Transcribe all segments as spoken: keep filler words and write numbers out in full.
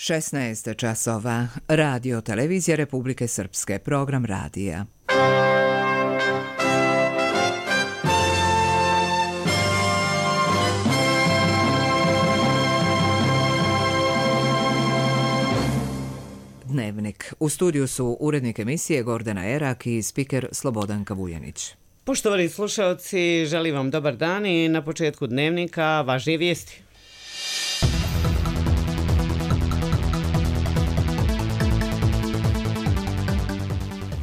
šesnaest časova. Radio Televizija Republike Srpske. Program radija. Dnevnik. U studiju su urednik emisije Gordana Erak i spiker Slobodanka Vujanić. Poštovani slušalci, želim vam dobar dan i na početku dnevnika važnije vijesti.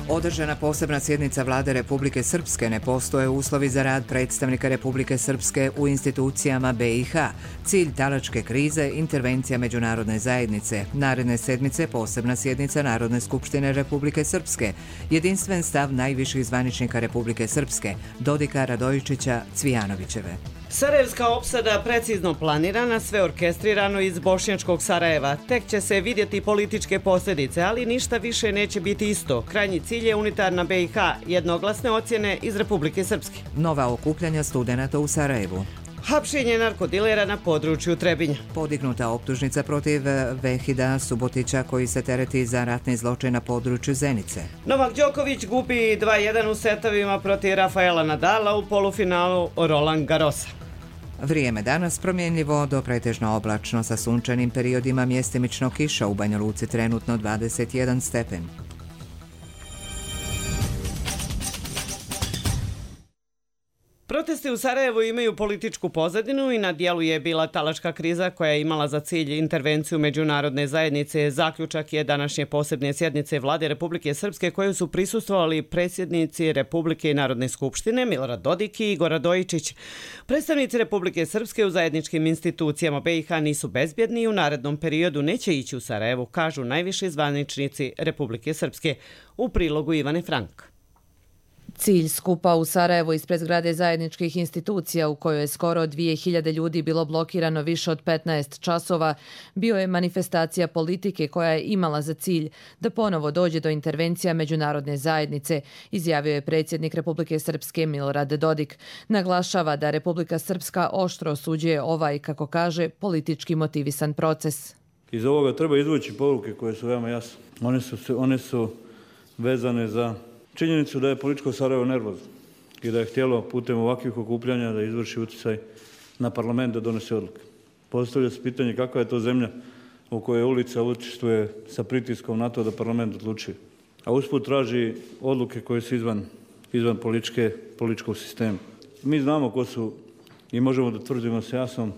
Održana posebna sjednica Vlade Republike Srpske. Ne postoje uslovi za rad predstavnika Republike Srpske u institucijama B i H. Cilj talačke krize, intervencija međunarodne zajednice. Naredne sedmice posebna sjednica Narodne skupštine Republike Srpske. Jedinstven stav najviših zvaničnika Republike Srpske, Dodika, Radojičića, Cvijanovićeve. Sarajevska opsada precizno planirana, sve orkestrirano iz bošnjačkog Sarajeva. Tek će se vidjeti političke posljedice, ali ništa više neće biti isto. Krajnji cilj je unitarna B i H, jednoglasne ocjene iz Republike Srpske. Nova okupljanja studenata u Sarajevu. Hapšenje narkodilera na području Trebinja. Podignuta optužnica protiv Vehida Subotića koji se tereti za ratni zločin na području Zenice. Novak Đoković gubi dva jedan u setovima protiv Rafaela Nadala u polufinalu Roland Garrosa. Vrijeme danas promjenljivo do pretežno oblačno sa sunčanim periodima, mjestimično kiša, u Banja Luci trenutno dvadeset jedan stepen. Protesti u Sarajevu imaju političku pozadinu i na dijelu je bila talačka kriza koja je imala za cilj intervenciju međunarodne zajednice. Zaključak je današnje posebne sjednice Vlade Republike Srpske koje su prisustvovali predsjednici Republike i Narodne skupštine Milorad Dodik i Igor Radojičić. Predstavnici Republike Srpske u zajedničkim institucijama B i H nisu bezbjedni i u narednom periodu neće ići u Sarajevu, kažu najviši zvaničnici Republike Srpske. U prilogu Ivane Frank. Cilj skupa u Sarajevu ispred zgrade zajedničkih institucija u kojoj je skoro dvije hiljade ljudi bilo blokirano više od petnaest časova, bio je manifestacija politike koja je imala za cilj da ponovo dođe do intervencija međunarodne zajednice, izjavio je predsjednik Republike Srpske Milorad Dodik. Naglašava da Republika Srpska oštro osuđuje ovaj, kako kaže, politički motivisan proces. Iz ovoga treba izvući poruke koje su veoma jasne. One su, one su vezane za činjenicu da je političko Sarajevo nervozno i da je htjelo putem ovakvih okupljanja da izvrši utjecaj na parlament da donese odluke. Postavlja se pitanje kakva je to zemlja u kojoj ulica učestvuje sa pritiskom na to da parlament odlučuje. A usput traži odluke koje su izvan, izvan političke, političkog sistema. Mi znamo ko su i možemo da tvrdimo s jasnom,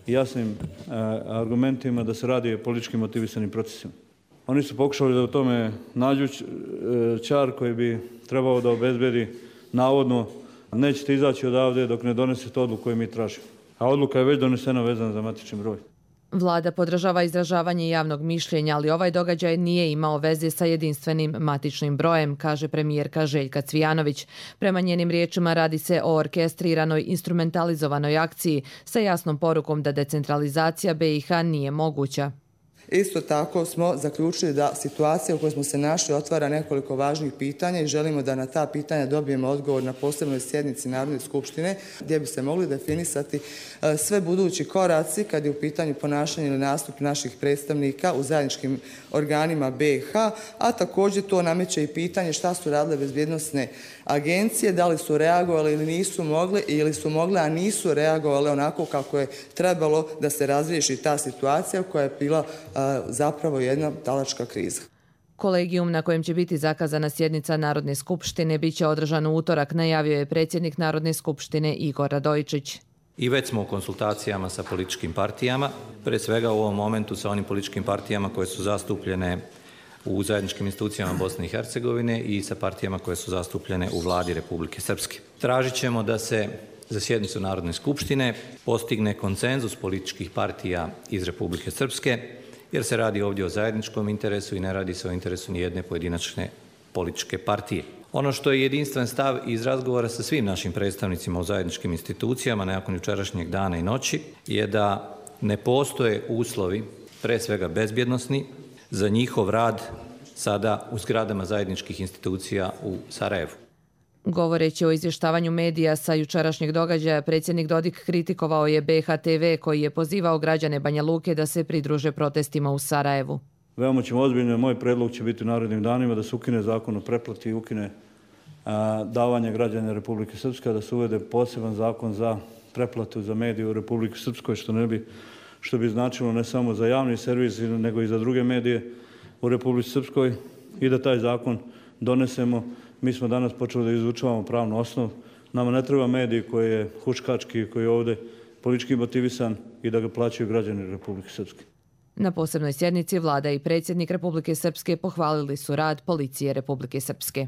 jasnim a, argumentima da se radi o politički motivisanim procesima. Oni su pokušali da u tome nađu čar koji bi trebao da obezbedi navodno nećete izaći odavde dok ne donesete odluku koju mi tražimo. A odluka je već donesena vezana za matični broj. Vlada podržava izražavanje javnog mišljenja, ali ovaj događaj nije imao veze sa jedinstvenim matičnim brojem, kaže premijerka Željka Cvijanović. Prema njenim riječima radi se o orkestriranoj, instrumentalizovanoj akciji sa jasnom porukom da decentralizacija B i H nije moguća. Isto tako smo zaključili da situacija u kojoj smo se našli otvara nekoliko važnih pitanja i želimo da na ta pitanja dobijemo odgovor na posebnoj sjednici Narodne skupštine gdje bi se mogli definisati sve budući koraci kad je u pitanju ponašanje ili nastup naših predstavnika u zajedničkim organima B i H, a također to nameće i pitanje šta su radile bezbjednosne agencije, da li su reagovali ili nisu mogli ili su mogle, a nisu reagovali onako kako je trebalo da se razriješi ta situacija koja je bila zapravo jedna talačka kriza. Kolegijum na kojem će biti zakazana sjednica Narodne skupštine biće održan u utorak, najavio je predsjednik Narodne skupštine Igor Radojičić. I već smo u konsultacijama sa političkim partijama, pre svega u ovom momentu sa onim političkim partijama koje su zastupljene u zajedničkim institucijama Bosne i Hercegovine i sa partijama koje su zastupljene u Vladi Republike Srpske. Tražit ćemo da se za sjednicu Narodne skupštine postigne konsenzus političkih partija iz Republike Srpske, jer se radi ovdje o zajedničkom interesu i ne radi se o interesu nijedne pojedinačne političke partije. Ono što je jedinstven stav iz razgovora sa svim našim predstavnicima u zajedničkim institucijama nakon jučerašnjeg dana i noći je da ne postoje uslovi, pre svega bezbjednosni, za njihov rad sada u zgradama zajedničkih institucija u Sarajevu. Govoreći o izvještavanju medija sa jučerašnjeg događaja, predsjednik Dodik kritikovao je B H T V koji je pozivao građane Banja Luke da se pridruže protestima u Sarajevu. Veoma ćemo ozbiljno, moj predlog će biti u narednim danima da se ukine zakon o pretplati i ukine a, davanje građana Republike Srpske, da se uvede poseban zakon za pretplatu za medije u Republike Srpskoj, što ne bi, što bi značilo ne samo za javni servis, nego i za druge medije u Republici Srpskoj i da taj zakon donesemo. Mi smo danas počeli da izučavamo pravnu osnovu. Nama ne treba medij koji je huškački, koji je ovdje politički motivisan i da ga plaćaju građani Republike Srpske. Na posebnoj sjednici vlada i predsjednik Republike Srpske pohvalili su rad policije Republike Srpske.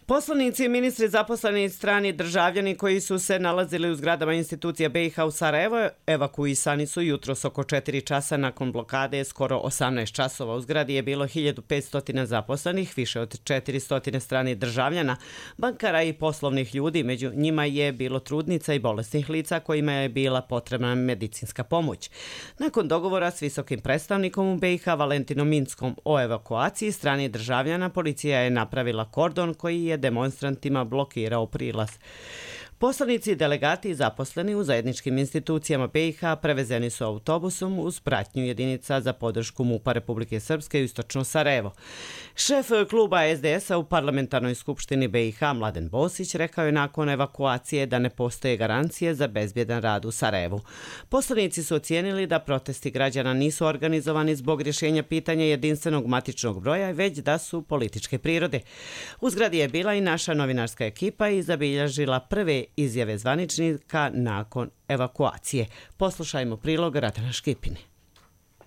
Poslanici i ministri zaposleni strani državljani koji su se nalazili u zgradama institucija B i H u Sarajevo evakuisani su jutros oko četiri časa nakon blokade. Skoro osamnaest časova u zgradi je bilo hiljadu petsto zaposlenih, više od četiristo strani državljana, bankara i poslovnih ljudi. Među njima je bilo trudnica i bolesnih lica kojima je bila potrebna medicinska pomoć. Nakon dogovora s visokim predstavnikom u B i H Valentinom Minskom o evakuaciji strani državljana, policija je napravila kordon koji je demonstrantima blokirao prilaz. Poslanici i delegati zaposleni u zajedničkim institucijama B i H prevezeni su autobusom uz pratnju jedinica za podršku MUP-a Republike Srpske u istočno Sarajevo. Šef kluba S D S-a u parlamentarnoj skupštini B i H Mladen Bosić rekao je nakon evakuacije da ne postoje garancije za bezbjedan rad u Sarajevu. Poslanici su ocijenili da protesti građana nisu organizovani zbog rješenja pitanja jedinstvenog matičnog broja, već da su političke prirode. U zgradi je bila i naša novinarska ekipa i zabilježila prve izjave zvaničnika nakon evakuacije. Poslušajmo prilog Ratana Škipine.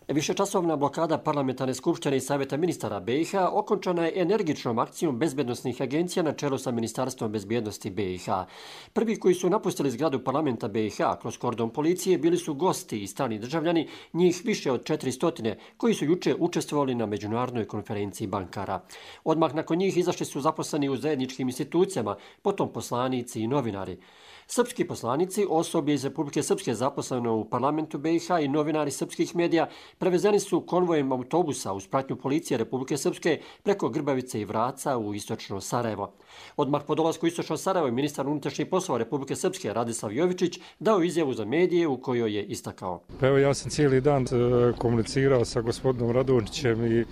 Višečasovna blokada parlamentarne skupštine i savjeta ministara B i H okončana je energičnom akcijom bezbjednosnih agencija na čelu sa Ministarstvom bezbjednosti B i H. Prvi koji su napustili zgradu parlamenta B i H kroz kordon policije bili su gosti i strani državljani, njih više od četiristo koji su juče učestvovali na međunarodnoj konferenciji bankara. Odmah nakon njih izašli su zaposleni u zajedničkim institucijama, potom poslanici i novinari. Srpski poslanici, osoblje iz Republike Srpske zaposleno u parlamentu B i H i novinari srpskih medija prevezeni su konvojem autobusa uz pratnju policije Republike Srpske preko Grbavice i Vraca u istočno Sarajevo. Odmah po dolasku u istočno Sarajevo ministar unutrašnjih poslova Republike Srpske Radislav Jovičić dao izjavu za medije u kojoj je istakao. Pa evo, ja sam cijeli dan komunicirao sa gospodinom Radončićem i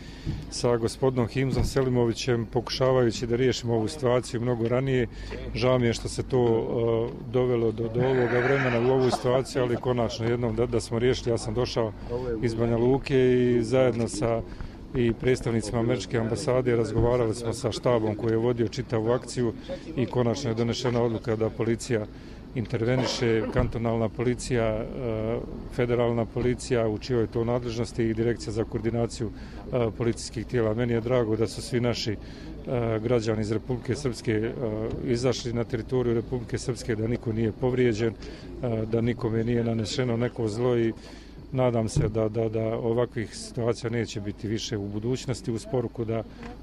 sa gospodinom Himzom Selimovićem pokušavajući da riješimo ovu situaciju mnogo ranije. Žao mi je što se to uh, dovelo do, do ovoga vremena u ovu situaciju, ali konačno jednom da, da smo riješili. Ja sam došao iz Banja Luke i zajedno sa i predstavnicima američke ambasade razgovarali smo sa štabom koji je vodio čitavu akciju i konačno je donešena odluka da policija interveniše, kantonalna policija, federalna policija u čijoj to nadležnosti i direkcija za koordinaciju policijskih tijela. Meni je drago da su svi naši građani iz Republike Srpske izašli na teritoriju Republike Srpske, da niko nije povrijeđen, da nikome nije nanešeno neko zlo i nadam se da, da, da ovakvih situacija neće biti više u budućnosti, uz poruku da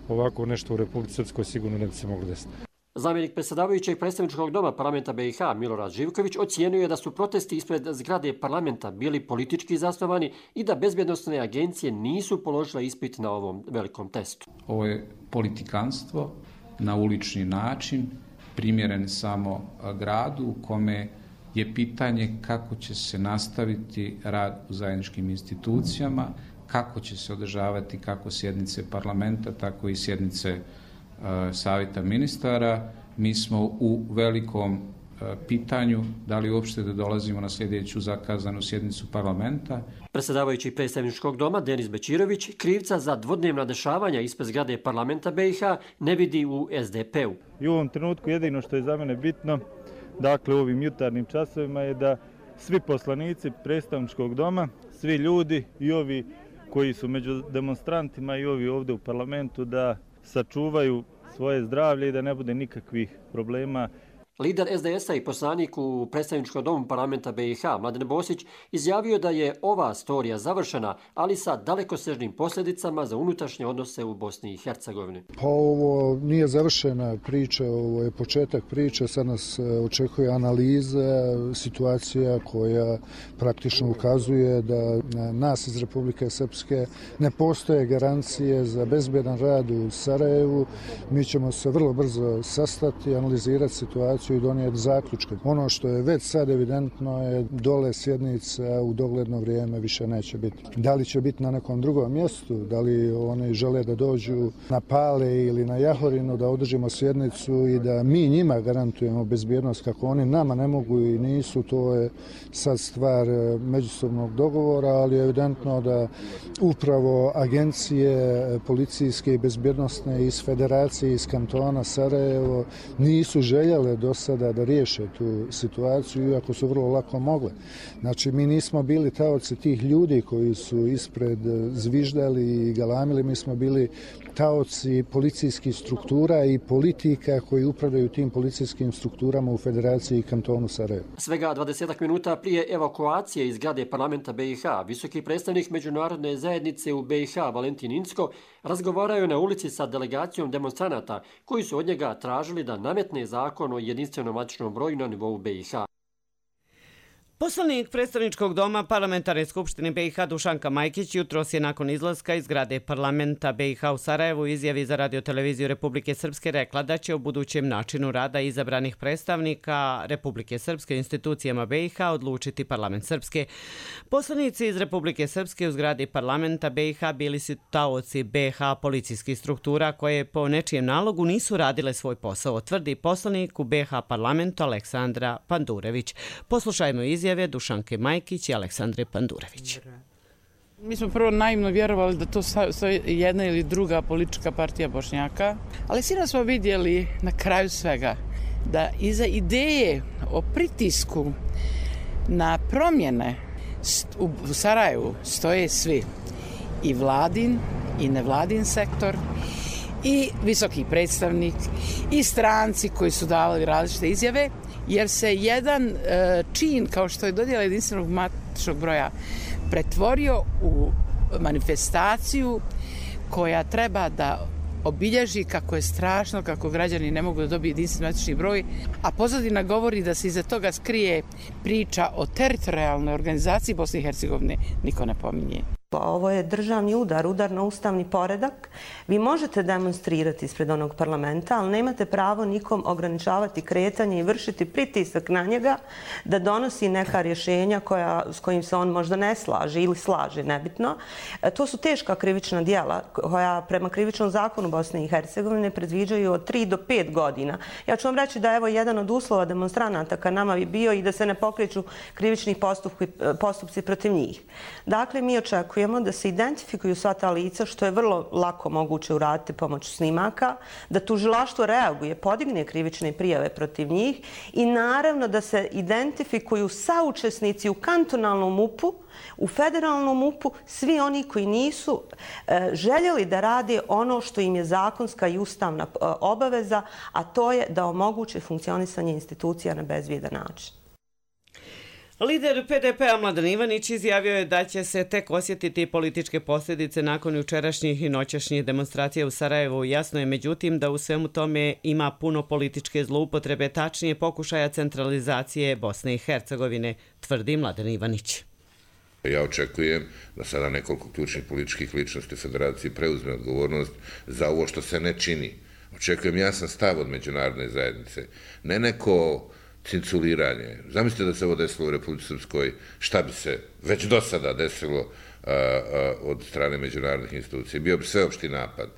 ovako nešto u Republici Srpskoj sigurno ne bi se moglo desiti. Zamjenik predsjedavajućeg predstavničkog doma parlamenta B i H Milorad Živković ocijenio je da su protesti ispred zgrade parlamenta bili politički zasnovani i da bezbjednosne agencije nisu položile ispit na ovom velikom testu. Ovo je politikanstvo na ulični način, primjeren samo gradu u kome je pitanje kako će se nastaviti rad u zajedničkim institucijama, kako će se održavati kako sjednice parlamenta, tako i sjednice uh, savjeta ministara. Mi smo u velikom uh, pitanju da li uopšte da dolazimo na sljedeću zakazanu sjednicu parlamenta. Predsjedavajući predstavničkog doma Denis Bečirović krivca za dvodnevna dešavanja ispred zgrade parlamenta B i H ne vidi u S D P-u. I u ovom trenutku jedino što je za mene bitno, dakle u ovim jutarnjim časovima, je da svi poslanici predstavničkog doma, svi ljudi i ovi koji su među demonstrantima i ovi ovdje u parlamentu da sačuvaju svoje zdravlje i da ne bude nikakvih problema. Lider es de esa i poslanik u predstavničkom domu parlamenta be i ha, Mladen Bosić, izjavio da je ova storija završena, ali sa dalekosežnim posljedicama za unutrašnje odnose u Bosni i Hercegovini. Pa ovo nije završena priča, ovo je početak priče, sad nas očekuje analiza, situacija koja praktično ukazuje da nas iz Republike Srpske ne postoje garancije za bezbjedan rad u Sarajevu. Mi ćemo se vrlo brzo sastati, analizirati situaciju i donijeti zaključke. Ono što je već sad evidentno je dole sjednica u dogledno vrijeme više neće biti. Da li će biti na nekom drugom mjestu, da li oni žele da dođu na Pale ili na Jahorinu, da održimo sjednicu i da mi njima garantujemo bezbjednost kako oni nama ne mogu i nisu, to je sad stvar međusobnog dogovora, ali je evidentno da upravo agencije policijske i bezbjednostne iz Federacije, iz kantona Sarajevo nisu željele do sada da riješe tu situaciju, iako su vrlo lako mogle. Znači, mi nismo bili taoci tih ljudi koji su ispred zviždali i galamili, mi smo bili taoci policijskih struktura i politika koji upravljaju tim policijskim strukturama u Federaciji i kantonu Sarajevo. Svega dvadesetak minuta prije evakuacije iz zgrade parlamenta be i ha, visoki predstavnik međunarodne zajednice u be i ha Valentin Incko razgovaraju na ulici sa delegacijom demonstranata koji su od njega tražili da nametne zakon o jedinstvenom matičnom broju na nivou be i ha. Poslanik predstavničkog doma Parlamentarne skupštine be i ha Dušanka Majkić jutros je nakon izlaska iz zgrade parlamenta be i ha u Sarajevu izjavi za radioteleviziju Republike Srpske rekla da će o budućem načinu rada izabranih predstavnika Republike Srpske institucijama be i ha odlučiti parlament Srpske. Poslanici iz Republike Srpske u zgradi parlamenta be i ha bili su taoci be i ha policijskih struktura koje po nečijem nalogu nisu radile svoj posao, tvrdi poslanik u be i ha parlamentu Aleksandra Pandurević. Poslušajmo izjavu Dušanke Majkić i Aleksandre Pandurević. Mi smo prvo naivno vjerovali da to stoji jedna ili druga politička partija Bošnjaka, ali sinoć smo vidjeli na kraju svega da iza ideje o pritisku na promjene u Sarajevu stoje svi. I vladin, i nevladin sektor, i visoki predstavnik, i stranci koji su davali različite izjave, jer se jedan e, čin kao što je dodjela jedinstvenog matičnog broja pretvorio u manifestaciju koja treba da obilježi kako je strašno, kako građani ne mogu da dobiju jedinstveni matični broj, a pozadina govori da se iza toga skrije priča o teritorijalnoj organizaciji Bosne i Hercegovine, niko ne pominje. Ovo je državni udar, udar na ustavni poredak. Vi možete demonstrirati ispred onog parlamenta, ali nemate pravo nikom ograničavati kretanje i vršiti pritisak na njega da donosi neka rješenja koja, s kojim se on možda ne slaže ili slaže, nebitno. To su teška krivična djela koja prema krivičnom zakonu Bosne i Hercegovine predviđaju od tri do pet godina. Ja ću vam reći da evo jedan od uslova demonstranata ka nama bi bio i da se ne pokreću krivični postupci, postupci protiv njih. Dakle, mi očekujemo da se identifikuju sva ta lica, što je vrlo lako moguće uraditi pomoću snimaka, da tužilaštvo reaguje, podigne krivične prijave protiv njih i naravno da se identifikuju saučesnici u kantonalnom mupu, u federalnom mupu, svi oni koji nisu e, željeli da rade ono što im je zakonska i ustavna e, obaveza, a to je da omoguće funkcionisanje institucija na bezbjedan način. Lider pe de pea Mladen Ivanić izjavio je da će se tek osjetiti političke posljedice nakon jučerašnjih i noćašnjih demonstracija u Sarajevu. Jasno je međutim da u svemu tome ima puno političke zloupotrebe, tačnije pokušaja centralizacije Bosne i Hercegovine, tvrdi Mladen Ivanić. Ja očekujem da sada nekoliko ključnih političkih ličnosti Federacije preuzme odgovornost za ovo što se ne čini. Očekujem jasan stav od međunarodne zajednice, ne neko cinculiranje. Zamislite da se ovo desilo u Republici Srpskoj, šta bi se već do sada desilo a, a, od strane međunarodnih institucija. Bio bi sveopšti napad.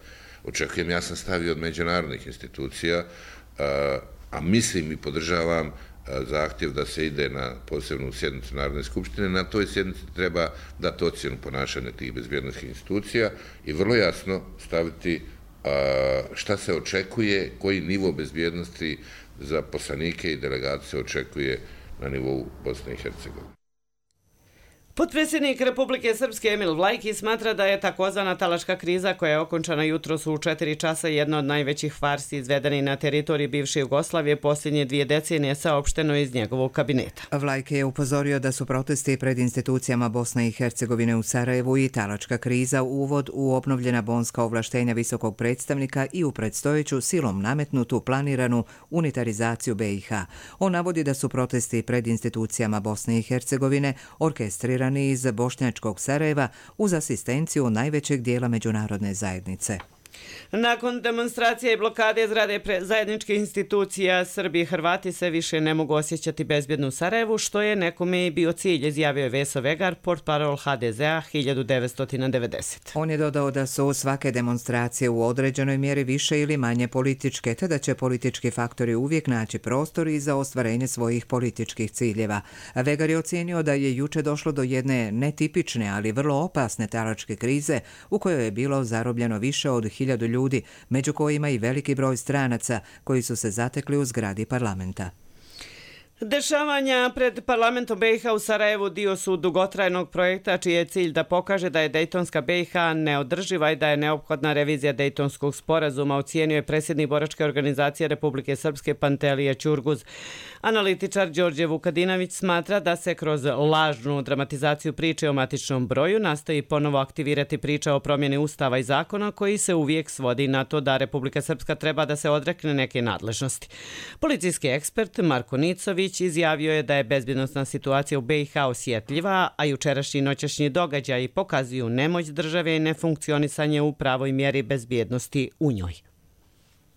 Očekujem jasan stav i od međunarodnih institucija, a, a mislim i podržavam a, zahtjev da se ide na posebnu sjednicu Narodne skupštine. Na toj sjednici treba dati ocjenu ponašanja tih bezbjednosnih institucija i vrlo jasno staviti a, šta se očekuje, koji nivo bezbjednosti za poslanike i delegacije očekuje na nivou Bosne i Hercegovine. Potpredsjednik Republike Srpske Emil Vlajki smatra da je takozvana talačka kriza koja je okončana jutros u četiri časa jedna od najvećih farsi izvedeni na teritoriji bivše Jugoslavije posljednje dvije decenije, saopšteno iz njegovog kabineta. Vlajki je upozorio da su protesti pred institucijama Bosne i Hercegovine u Sarajevu i talačka kriza uvod u obnovljena bonska ovlaštenja visokog predstavnika i u predstojeću silom nametnutu planiranu unitarizaciju B i H. On navodi da su protesti pred institucijama Bosne i Hercegovine orkestrirani iz bošnjačkog Sarajeva uz asistenciju najvećeg dijela međunarodne zajednice. Nakon demonstracije i blokade zgrade zajedničkih institucija, Srbi i Hrvati se više ne mogu osjećati bezbjedno u Sarajevu, što je nekome i bio cilj, izjavio je Veso Vegar, portparol H D Z-a hiljadu devetsto devedesete. On je dodao da su svake demonstracije u određenoj mjeri više ili manje političke, te da će politički faktori uvijek naći prostor i za ostvarenje svojih političkih ciljeva. Vegar je ocijenio da je juče došlo do jedne netipične, ali vrlo opasne talačke krize u kojoj je bilo zarobljeno više od hiljadu ljudi, među kojima i veliki broj stranaca koji su se zatekli u zgradi parlamenta. Dešavanja pred parlamentom B i H u Sarajevu dio su dugotrajnog projekta čiji je cilj da pokaže da je Dejtonska B i H neodrživa i da je neophodna revizija Dejtonskog sporazuma, ocijenio je predsjednik boračke organizacije Republike Srpske Pantelije Ćurguz. Analitičar Đorđe Vukadinović smatra da se kroz lažnu dramatizaciju priče o matičnom broju nastoji ponovo aktivirati priča o promjeni ustava i zakona koji se uvijek svodi na to da Republika Srpska treba da se odrekne neke nadležnosti. Policijski ekspert Marko Nicović izjavio je da je bezbjednosna situacija u B i H osjetljiva, a jučerašnji i noćašnji događaji pokazuju nemoć države i nefunkcionisanje u pravoj mjeri bezbjednosti u njoj.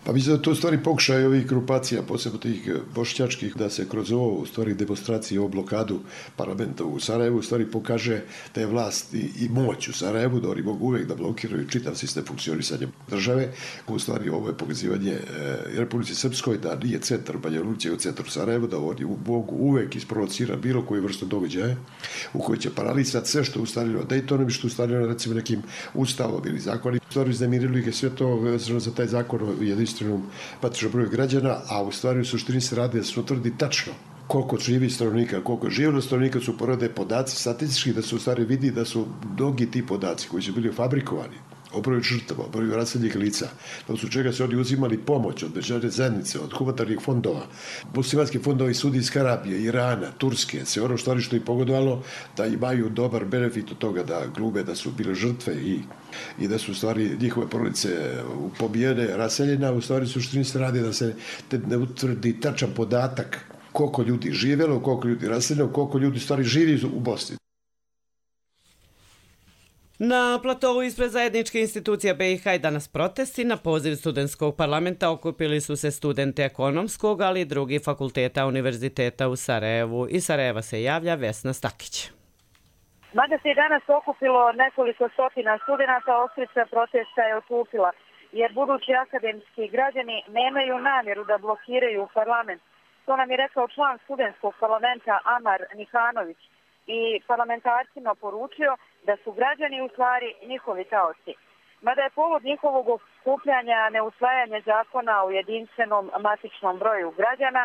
Pa mislim da to u stvari pokušaj ovih grupacija, posebno tih bošnjačkih, da se kroz ovo u stvari demonstracije o blokadu parlamenta u Sarajevu u stvari pokaže da je vlast i, i moć u Sarajevu, da oni mogu uvijek da blokiraju čitav sistem funkcionisanja države. U stvari ovo je pokazivanje e, Republici Srpskoj da nije centar Banja Luci u centru Sarajevu, da oni mogu uvijek isprovocirati bilo koju vrstu događaja u kojoj će paralisati sve što je ustaljeno Dejtonom i što je ustaljeno recimo nekim ustavom ili zakonom. U stvari uznemirilo ih je sve to vezano za taj zakon o jedinstvenom matičnom broju građana, a u stvari u suštini se radi da se utvrdi tačno koliko živi stanovnika, koliko živjelo stanovnika su porode podaci statistički, da se u stvari vidi da su mnogi ti podaci koji su bili fabrikovani o broju žrtava, o broju raseljenih lica, da su čega se oni uzimali pomoć od međunarodne zajednice, od humanitarnih fondova, muslimanski fondovi Saudijske Arabije, Irana, Turske, sve ono stvari što je pogodovalo da imaju dobar benefit od toga da glume da su bile žrtve i, i da su u stvari njihove porodice pobijene, raseljena, u stvari suštini se radi da se ne utvrdi tačan podatak koliko ljudi živjelo, koliko ljudi raseljeno, koliko ljudi stvari živi u Bosni. Na platovu ispred zajedničke institucija B i H i danas protesti. Na poziv studentskog parlamenta okupili su se studenti ekonomskog, ali i drugih fakulteta univerziteta u Sarajevu. Iz Sarajeva se javlja Vesna Stakić. Mada se i danas okupilo nekoliko stotina studenta, oštrica protesta je otupila, jer budući akademski građani nemaju namjeru da blokiraju parlament. To nam je rekao član studentskog parlamenta Amar Nihanović i parlamentarcima poručio da su građani u stvari njihovi taoci. Mada je povod njihovog okupljanja neusvajanje zakona o jedinstvenom matičnom broju građana,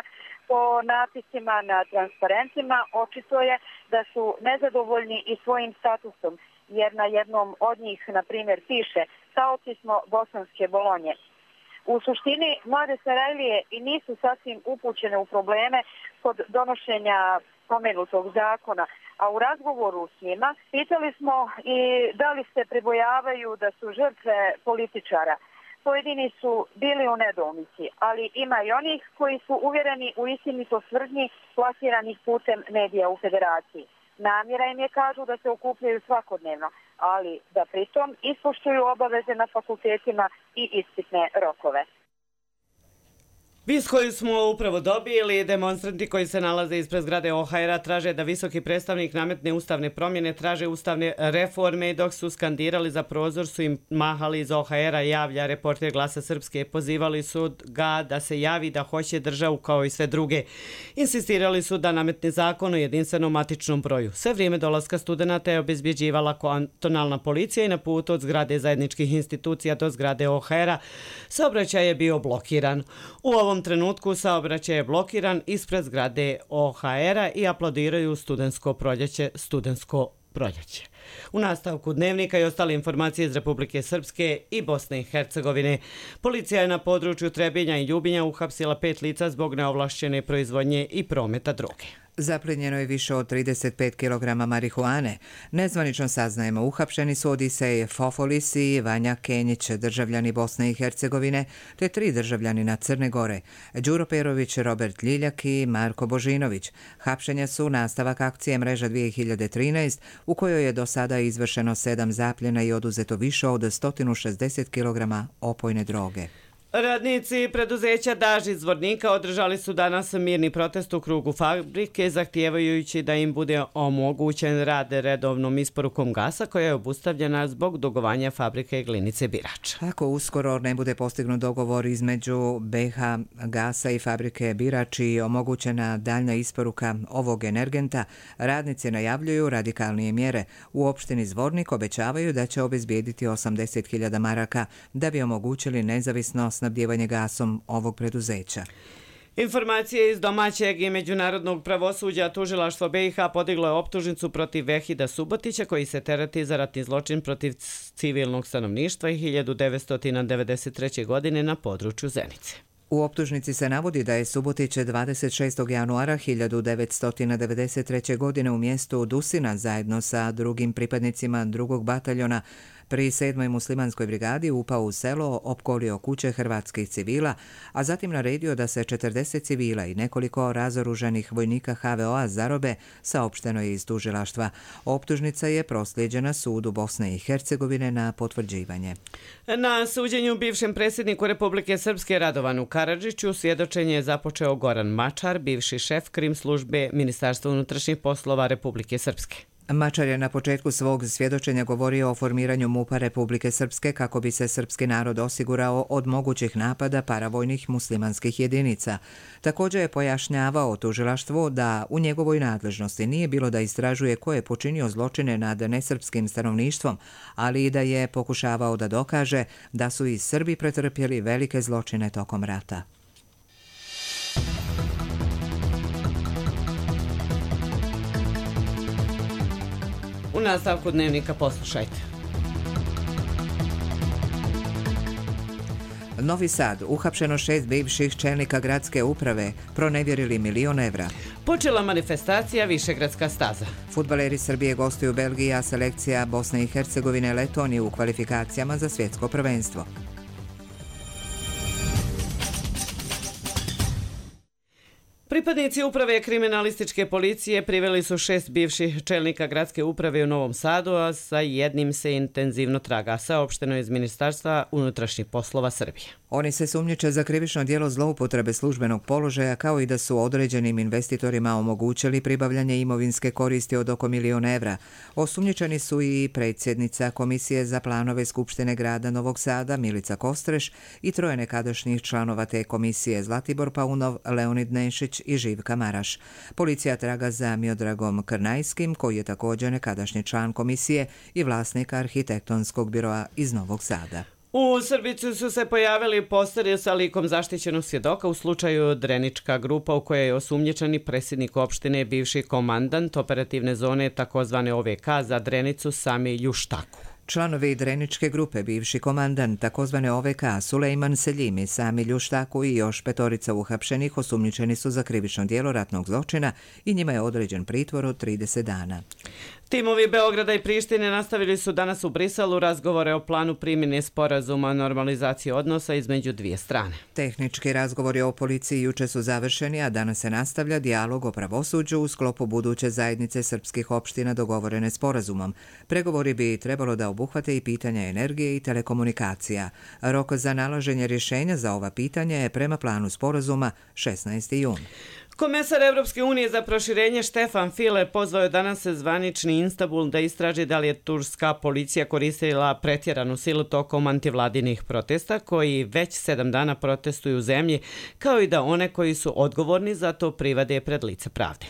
po napisima na transparentima očito je da su nezadovoljni i svojim statusom, jer na jednom od njih, na primjer, piše taoci smo bosanske Bolonje. U suštini, mlade Sarajlije i nisu sasvim upućene u probleme kod donošenja spomenutog zakona, a u razgovoru s njima pitali smo i da li se pribojavaju da su žrtve političara. Pojedini su bili u nedoumici, ali ima i onih koji su uvjereni u istinitost tvrdnji plasiranih putem medija u Federaciji. Namjera im je, kažu, da se okupljaju svakodnevno, ali da pritom ispoštuju obaveze na fakultetima i ispitne rokove. Vijest koju smo upravo dobili, demonstranti koji se nalaze ispred zgrade O H R-a traže da visoki predstavnik nametne ustavne promjene, traže ustavne reforme i dok su skandirali za prozor su im mahali iz O H R-a, javlja reporter Glasa Srpske. Pozivali su ga da se javi da hoće državu kao i sve druge. Insistirali su da nametne zakon o jedinstvenom matičnom broju. Sve vrijeme dolaska studenata je obezbjeđivala kantonalna policija i na putu od zgrade zajedničkih institucija do zgrade O H R-a saobraćaj je bio blokiran. U ovom U ovom trenutku saobraćaj je blokiran ispred zgrade O H R-a i aplaudiraju studentsko proljeće, studentsko proljeće. U nastavku dnevnika i ostale informacije iz Republike Srpske i Bosne i Hercegovine. Policija je na području Trebinja i Ljubinja uhapsila pet lica zbog neovlašćene proizvodnje i prometa droge. Zaplijenjeno je više od trideset pet kilograma marihuane. Nezvanično saznajemo, uhapšeni su Odisej Fofolis i Vanja Kenjić, državljani Bosne i Hercegovine, te tri državljanina Crne Gore, Đuro Perović, Robert Ljiljak i Marko Božinović. Hapšenja su nastavak akcije Mreža dvije hiljade trinaest, u kojoj je do sada izvršeno sedam zapljena i oduzeto više od sto šezdeset kilograma opojne droge. Radnici preduzeća Daž iz Zvornika održali su danas mirni protest u krugu fabrike, zahtijevajući da im bude omogućen rad redovnom isporukom gasa koja je obustavljena zbog dugovanja fabrike Glinice Birač. Ako uskoro ne bude postignut dogovor između B H Gasa i fabrike Birač i omogućena daljna isporuka ovog energenta, radnici najavljuju radikalnije mjere. U opštini Zvornik obećavaju da će obezbijediti osamdeset hiljada maraka da bi omogućili nezavisno snabdijevanje gasom ovog preduzeća. Informacije iz domaćeg i međunarodnog pravosuđa, tužilaštvo B i H podiglo je optužnicu protiv Vehida Subotića koji se tereti za ratni zločin protiv civilnog stanovništva i hiljadu devetsto devedeset treće. godine na području Zenice. U optužnici se navodi da je Subotić dvadeset šestog januara hiljadu devetsto devedeset treće. godine u mjestu Dusina zajedno sa drugim pripadnicima drugog bataljona pri sedmoj muslimanskoj brigadi upao u selo, opkolio kuće hrvatskih civila, a zatim naredio da se četrdeset civila i nekoliko razoružanih vojnika H V O-a zarobe, saopšteno je iz tužilaštva. Optužnica je proslijeđena sudu Bosne i Hercegovine na potvrđivanje. Na suđenju bivšem predsjedniku Republike Srpske Radovanu Karadžiću svjedočenje je započeo Goran Mačar, bivši šef krim službe Ministarstva unutrašnjih poslova Republike Srpske. Mačar je na početku svog svjedočenja govorio o formiranju MUP-a Republike Srpske kako bi se srpski narod osigurao od mogućih napada paravojnih muslimanskih jedinica. Također je pojašnjavao tužilaštvu da u njegovoj nadležnosti nije bilo da istražuje ko je počinio zločine nad nesrpskim stanovništvom, ali i da je pokušavao da dokaže da su i Srbi pretrpjeli velike zločine tokom rata. U nastavku dnevnika poslušajte. Novi Sad, uhapšeno šest bivših čelnika gradske uprave, pronevjerili milion evra. Počela manifestacija Višegradska staza. Fudbaleri Srbije gostuju Belgiji, a selekcija Bosne i Hercegovine Letonije u kvalifikacijama za svjetsko prvenstvo. Pripadnici uprave kriminalističke policije priveli su šest bivših čelnika gradske uprave u Novom Sadu, a sa jednim se intenzivno traga, saopšteno iz Ministarstva unutrašnjih poslova Srbije. Oni se sumnjiče za krivično djelo zloupotrebe službenog položaja, kao i da su određenim investitorima omogućili pribavljanje imovinske koristi od oko milion evra. Osumnjičeni su i predsjednica Komisije za planove Skupštine grada Novog Sada Milica Kostreš i troje nekadašnjih članova te komisije Zlatibor Paunov, Leonid Nešić i Živka Maraš. Policija traga za Miodragom Krnajskim, koji je također nekadašnji član komisije i vlasnik arhitektonskog biroa iz Novog Sada. U Srbicu su se pojavili posteri sa likom zaštićenog svjedoka u slučaju Drenička grupa u kojoj je osumnjičeni predsjednik opštine, bivši komandant operativne zone takozvane O V K za Drenicu Sami Ljuštaku. Članovi Dreničke grupe, bivši komandant takozvane O V K Sulejman Seljimi, Sami Ljuštaku i još petorica uhapšenih osumnjičeni su za krivično djelo ratnog zločina i njima je određen pritvor od trideset dana. Timovi Beograda i Prištine nastavili su danas u Briselu razgovore o planu primjene sporazuma o normalizaciji odnosa između dvije strane. Tehnički razgovori o policiji juče su završeni, a danas se nastavlja dijalog o pravosuđu u sklopu buduće zajednice srpskih opština dogovorene sporazumom. Pregovori bi trebalo da obuhvate i pitanja energije i telekomunikacija. Rok za nalaženje rješenja za ova pitanja je prema planu sporazuma šesnaesti jun. Komesar Evropske unije za proširenje Štefan File pozvao je danas zvanični Istanbul da istraži da li je turska policija koristila pretjeranu silu tokom antivladinih protesta koji već sedam dana protestuju u zemlji, kao i da one koji su odgovorni za to privade pred lice pravde.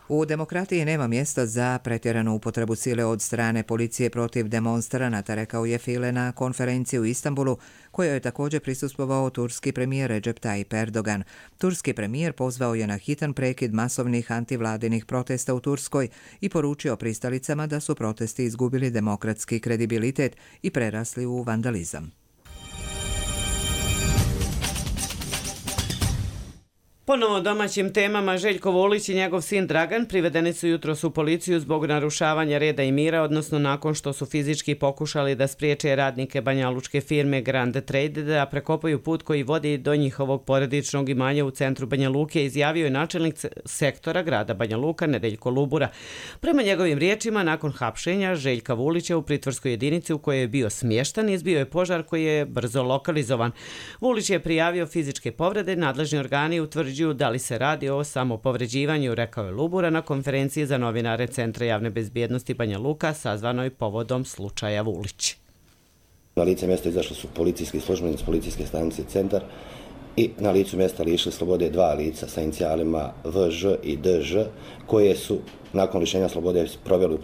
U demokratiji nema mjesta za pretjeranu upotrebu sile od strane policije protiv demonstranata, rekao je File na konferenciji u Istanbulu, kojoj je također prisustvovao turski premijer Recep Tayyip Erdogan. Turski premijer pozvao je na hitan prekid masovnih antivladinih protesta u Turskoj i poručio pristalicama da su protesti izgubili demokratski kredibilitet i prerasli u vandalizam. Ponovo domaćim temama, Željko Vulić i njegov sin Dragan privedeni su jutros u policiju zbog narušavanja reda i mira, odnosno nakon što su fizički pokušali da spriječe radnike banjalučke firme Grand Trade da prekopaju put koji vodi do njihovog porodičnog imanja u centru Banja Luke, izjavio je načelnik sektora grada Banja Luka Nedeljko Lubura. Prema njegovim riječima, nakon hapšenja Željka Vulića u pritvorskoj jedinici u kojoj je bio smještan, izbio je požar koji je brzo lokalizovan. Vulić je prijavio fizičke povrede, nadležni organi utvrđuju da li se radi o samopovređivanju, rekao je Lubura na konferenciji za novinare Centra javne bezbjednosti Banja Luka sazvanoj povodom slučaja Vulić. Na lice mjesta izašli su policijski službenici policijske stanice Centar i na licu mjesta lišili slobode dva lica sa inicijalima V Ž i D Ž koje su nakon lišenja slobode proveli u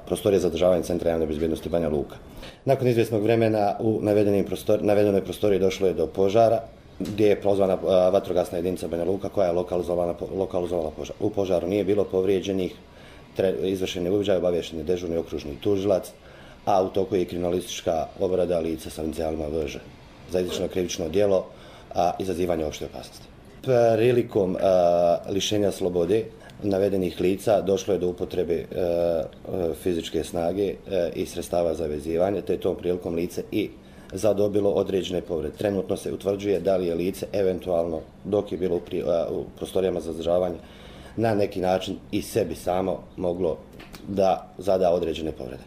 prostorije za održavanje Centra javne bezbjednosti Banja Luka. Nakon izvjesnog vremena u prostor, navedenoj prostoriji došlo je do požara gdje je prozvana vatrogasna jedinica Banja Luka koja je lokalizovala požar. U požaru nije bilo povrijeđenih, izvršen je uviđaj, obavješten je dežurni okružni tužilac, a u toku je i kriminalistička obrada lica sa inicijalima V Ž za izvršeno krivično djelo a izazivanje opšte opasnosti. Prilikom a, lišenja slobode navedenih lica došlo je do upotrebe a, a, fizičke snage a, i sredstava za vezivanje, te je tom prilikom lice i zadobilo određene povrede. Trenutno se utvrđuje da li je lice eventualno, dok je bilo u, pri, a, u prostorijama za zadržavanje, na neki način i sebi samo moglo da zada određene povrede.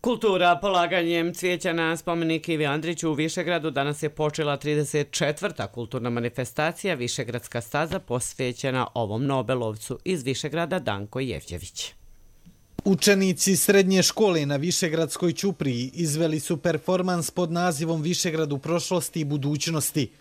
Kultura polaganjem cvijeća na spomenik Ivi Andriću u Višegradu danas je počela trideset četvrta kulturna manifestacija Višegradska staza posvećena ovom Nobelovcu. Iz Višegrada Danko Jevđević. Učenici srednje škole na Višegradskoj ćupriji izveli su performans pod nazivom Višegrad u prošlosti i budućnosti.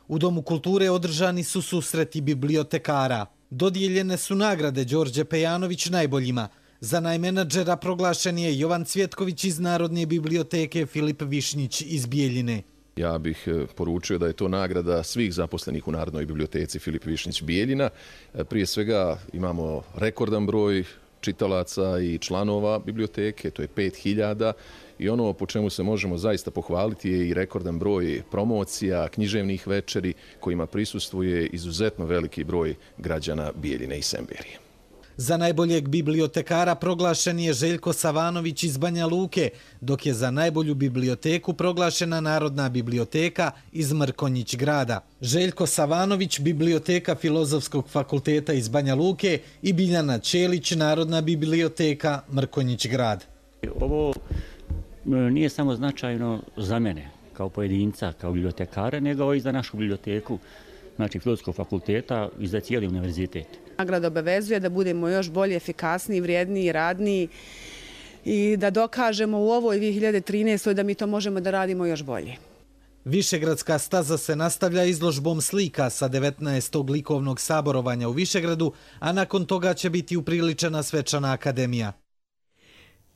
U Domu kulture održani su susreti bibliotekara. Dodijeljene su nagrade Đorđe Pejanović najboljima. Za najmenadžera proglašen je Jovan Cvjetković iz Narodne biblioteke, Filip Višnjić iz Bijeljine. Ja bih poručio da je to nagrada svih zaposlenih u Narodnoj biblioteci Filip Višnjić Bijeljina. Prije svega imamo rekordan broj čitalaca i članova biblioteke, to je pet hiljada, i ono po čemu se možemo zaista pohvaliti je i rekordan broj promocija, književnih večeri kojima prisustvuje izuzetno veliki broj građana Bijeljine i Semberije. Za najboljeg bibliotekara proglašen je Željko Savanović iz Banja Luke, dok je za najbolju biblioteku proglašena Narodna biblioteka iz Mrkonjić grada. Željko Savanović, biblioteka Filozofskog fakulteta iz Banja Luke, i Biljana Ćelić, Narodna biblioteka Mrkonjić grad. Ovo nije samo značajno za mene kao pojedinca, kao bibliotekara, nego i za našu biblioteku, znači Filozofskog fakulteta i za cijeli univerzitet. Nagrada obavezuje da budemo još bolje, efikasniji, vrijedniji, radniji i da dokažemo u ovoj dvije hiljade trinaestoj da mi to možemo da radimo još bolje. Višegradska staza se nastavlja izložbom slika sa devetnaestog likovnog saborovanja u Višegradu, a nakon toga će biti upriličena svečana akademija.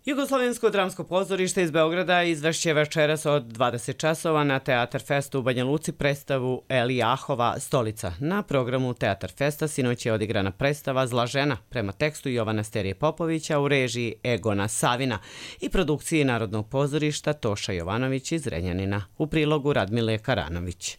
Jugoslovensko dramsko pozorište iz Beograda izvešće večeras od dvadeset časova na Teatar Festu u Banja Luci predstavu Elijahova stolica. Na programu Teatar Festa sinoć je odigrana predstava Zla žena prema tekstu Jovana Sterije Popovića u režiji Egona Savina i produkciji Narodnog pozorišta Toša Jovanović iz Renjanina, u prilogu Radmile Karanović.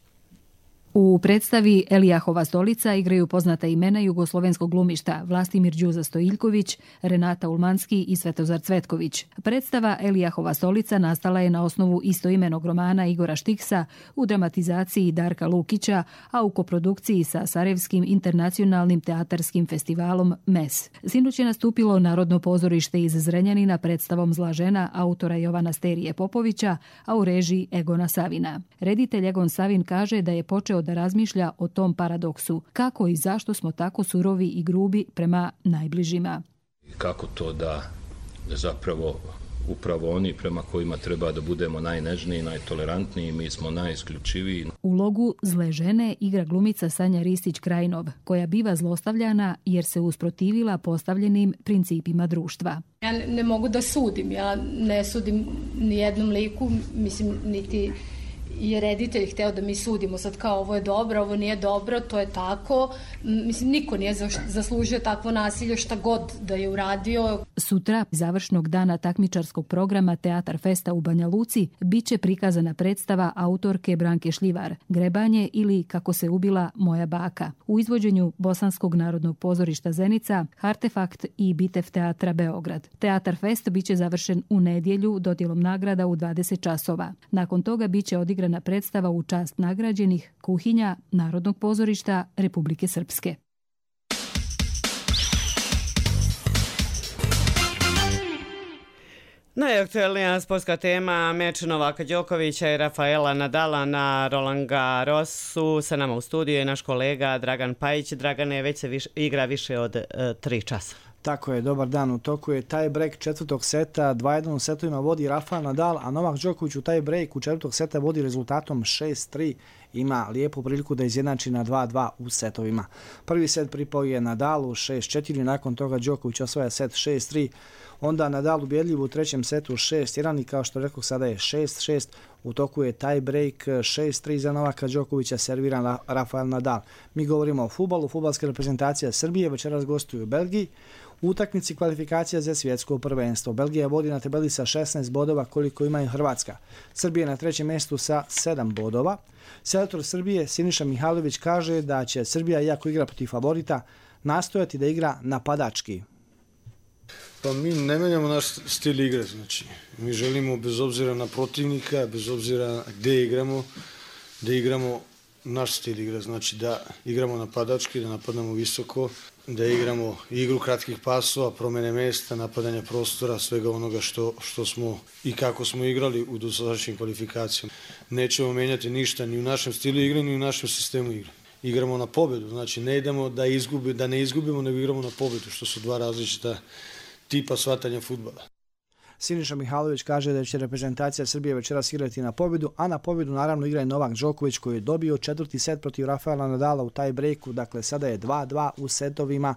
U predstavi Elijahova stolica igraju poznata imena jugoslovenskog glumišta Vlastimir Đuza Stojiljković, Renata Ulmanski i Svetozar Cvetković. Predstava Elijahova stolica nastala je na osnovu istoimenog romana Igora Štiksa u dramatizaciji Darka Lukića, a u koprodukciji sa Sarajevskim internacionalnim teatarskim festivalom M E S. Sinoć je nastupilo Narodno pozorište iz Zrenjanina predstavom Zla žena autora Jovana Sterije Popovića, a u režiji Egona Savina. Reditelj Egon Savin kaže da je počeo da razmišlja o tom paradoksu. Kako i zašto smo tako surovi i grubi prema najbližima? Kako to da zapravo upravo oni prema kojima treba da budemo najnežniji, najtolerantniji, mi smo najisključiviji. Ulogu zle žene igra glumica Sanja Ristić-Krajnov, koja biva zlostavljana jer se usprotivila postavljenim principima društva. Ja ne, ne mogu da sudim, ja ne sudim ni jednom liku, mislim, niti je reditelj hteo da mi sudimo sad kao ovo je dobro, ovo nije dobro, to je tako. Mislim, niko nije zaslužio takvo nasilje šta god da je uradio. Sutra, završnog dana takmičarskog programa Teatar Festa u Banja Luci, bit će prikazana predstava autorke Branke Šljivar, Grebanje ili Kako se ubila moja baka, u izvođenju Bosanskog narodnog pozorišta Zenica, Artefakt i Bitev teatra Beograd. Teatar Fest bit će završen u nedjelju dodjelom nagrada u dvadeset časova. Nakon toga bit će odigrana predstava u čast nagrađenih Kuhinja Narodnog pozorišta Republike Srpske. Najaktuelnija sportska tema, meč Novaka Đokovića i Rafaela Nadala na Roland Garrosu. Sa nama u studiju je naš kolega Dragan Pajić. Dragane, već se više, igra više od e, tri časa. Tako je, dobar dan. U toku je taj break četvrtog seta, dva jedan u setovima vodi Rafael Nadal, a Novak Đoković u taj break u četvrtog seta vodi rezultatom šest tri. Ima lijepu priliku da izjednači na dva dva u setovima. Prvi set pripao je Nadalu šest četiri, nakon toga Đoković osvaja set šest tri. Onda Nadal ubjedljiv u trećem setu šest jedan i kao što rekao sada je šest šest. U toku je taj break šest tri za Novaka Đokovića, serviran Rafael Nadal. Mi govorimo o fudbalu. Fudbalska reprezentacija Srbije večeras gostuju u Belgiji u utakmici kvalifikacija za svjetsko prvenstvo. Belgija vodi na tabeli sa šesnaest bodova koliko ima i Hrvatska. Srbija na trećem mjestu sa sedam bodova. Selektor Srbije Siniša Mihajlović kaže da će Srbija, iako igra protiv favorita, nastojati da igra napadački. Pa mi ne menjamo naš stil igre, znači mi želimo bez obzira na protivnika, bez obzira gdje igramo, da igramo naš stil igre, znači da igramo napadački, da napadamo visoko, da igramo igru kratkih pasova, promjene mjesta, napadanja prostora, svega onoga što, što smo i kako smo igrali u dosadašnjim kvalifikacijama. Nećemo menjati ništa ni u našem stilu igre, ni u našem sistemu igre. Igramo na pobjedu, znači ne idemo da, izgubi, da ne izgubimo, nego igramo na pobjedu, što su dva različita tipa shvatanja fudbala. Siniša Mihajlović kaže da će reprezentacija Srbije večeras igrati na pobjedu, a na pobjedu naravno igra i Novak Đoković koji je dobio četvrti set protiv Rafaela Nadala u taj breaku, dakle sada je dva dva u setovima.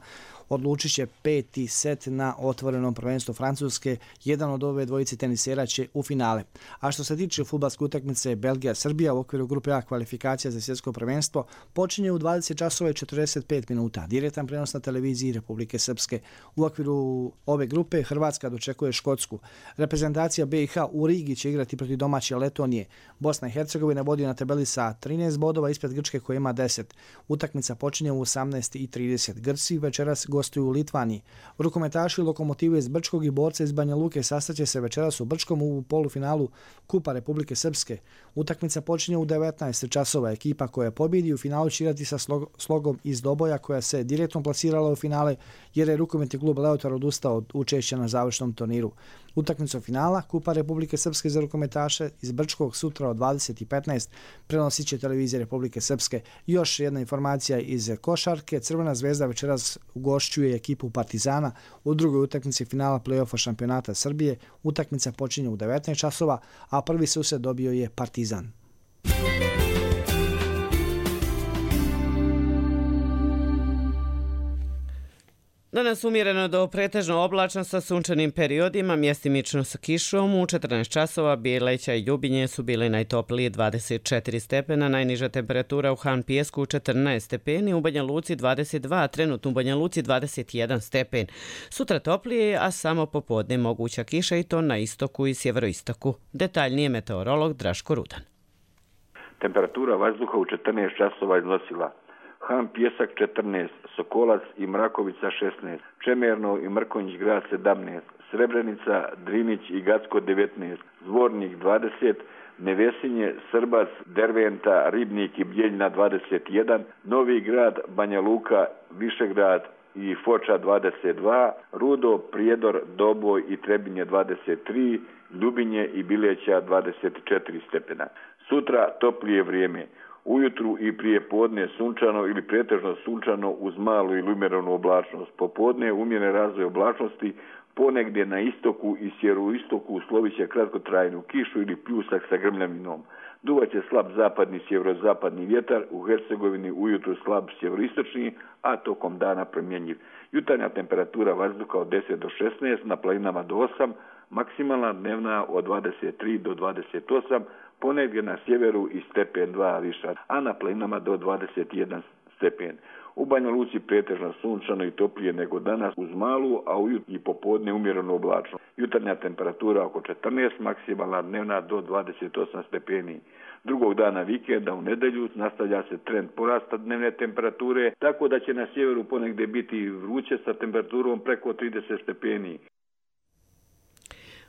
Odlučit će peti set na otvorenom prvenstvu Francuske. Jedan od ove dvojice tenisera će u finale. A što se tiče fudbalske utakmice Belgija-Srbija u okviru grupe A kvalifikacija za svjetsko prvenstvo, počinje u dvadeset časova i četrdeset pet minuta. Direktan prenos na televiziji Republike Srpske. U okviru ove grupe Hrvatska dočekuje Škotsku. Reprezentacija B i H u Rigi će igrati protiv domaće Letonije. Bosna i Hercegovina vodi na tabeli sa trinaest bodova ispred Grčke koja ima deset. Utakmica počinje u osamnaest i trideset. Grci večeras gostuju u Litvaniji. Rukometaši Lokomotive iz Brčkog i borce iz Banja Luke sastaće se večeras u Brčkom u polufinalu Kupa Republike Srpske. Utakmica počinje u devetnaest časova. Ekipa koja pobjedi u finalu će igrati sa Slogom iz Doboja koja se direktno plasirala u finale jer je rukometni klub Leotar odustao od učešća na završnom turniru. Utakmicu finala Kupa Republike Srpske za rukometaše iz Brčkog sutra od dvadeset i petnaest prenosit će televizija Republike Srpske. Još jedna informacija iz košarke. Crvena zvezda večeras ugošćuje ekipu Partizana u drugoj utakmici finala play-offa šampionata Srbije. Utakmica počinje u devetnaest časova, a prvi susret dobio je Partizan. Danas umjereno do pretežno oblačno sa sunčanim periodima, mjestimično sa kišom. U četrnaest časova Bijeleća i Ljubinje su bili najtopliji dvadeset četiri stepena, najniža temperatura u Han Pijesku četrnaest stepeni, u Banja Luci dvadeset dva, trenutno u Banja Luci dvadeset jedan stepen. Sutra toplije, a samo popodne moguća kiša i to na istoku i sjeveroistoku. Detaljnije meteorolog Draško Rudan. Temperatura vazduha u četrnaest časova iznosila Han Pijesak četrnaest, Sokolac i Mrakovica šesnaest, Čemerno i Mrkonjić grad sedamnaest, Srebrenica, Drinić i Gacko devetnaest, Zvornik dvadeset, Nevesinje, Srbac, Derventa, Ribnik i Bjeljina dvadeset jedan, Novi grad, Banja Luka, Višegrad i Foča dvadeset dva, Rudo, Prijedor, Doboj i Trebinje dvadeset tri, Ljubinje i Bileća dvadeset četiri stepena. Sutra toplije vrijeme. Ujutru i prije podne sunčano ili pretežno sunčano uz malu ili umjerenu oblačnost. Popodne umjeren razvoj oblačnosti, Ponegdje na istoku i sjeveroistoku uslovit će kratkotrajnu kišu ili pljusak sa grmljavinom. Duvaće slab zapadni sjeverozapadni vjetar, u Hercegovini ujutru slab sjeveroistočni, a tokom dana promjenjiv. Jutarnja temperatura vazduha od deset do šesnaest, na planinama do osam, maksimalna dnevna od dvadeset tri do dvadeset osam, ponegdje na sjeveru i stepen dva viša, a na planinama do dvadeset jedan stepen. U Banja Luci pretežno sunčano i toplije nego danas uz malu, a ujutro i popodne umjereno oblačno. Jutarnja temperatura oko četrnaest, maksimalna dnevna do dvadeset osam stepeni. Drugog dana vikenda u nedelju nastavlja se trend porasta dnevne temperature, tako da će na sjeveru ponegdje biti vruće sa temperaturom preko trideset stepeni.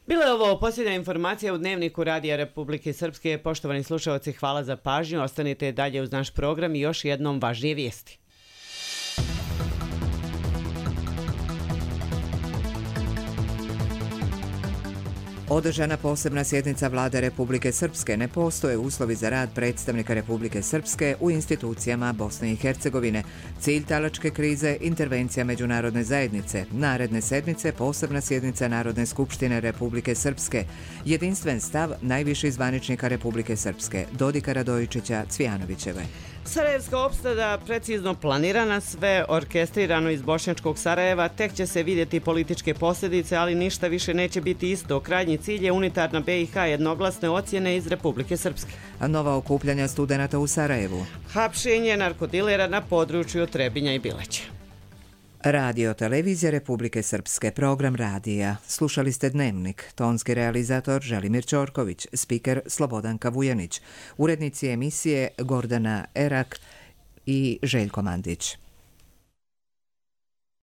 Bila je ovo posljednja informacija u Dnevniku Radija Republike Srpske. Poštovani slušalci, hvala za pažnju. Ostanite dalje uz naš program i još jednom važnije vijesti. Održana posebna sjednica Vlade Republike Srpske. Ne postoje uslovi za rad predstavnika Republike Srpske u institucijama Bosne i Hercegovine. Cilj talačke krize, intervencija međunarodne zajednice. Naredne sedmice posebna sjednica Narodne skupštine Republike Srpske. Jedinstven stav najviših zvaničnika Republike Srpske, Dodika Radojičića, Cvijanovićeve. Sarajevska opstada precizno planirana, sve orkestrirano iz bošnjačkog Sarajeva, tek će se vidjeti političke posljedice, ali ništa više neće biti isto. Krajnji cilj je unitarna B i H, jednoglasne ocjene iz Republike Srpske. A nova okupljanja studenata u Sarajevu. Hapšenje narkodilera na području Trebinja i Bileća. Radio Televizija Republike Srpske, program radija. Slušali ste Dnevnik, tonski realizator Želimir Ćorković, spiker Slobodanka Vujanić, urednici emisije Gordana Erak i Željko Mandić.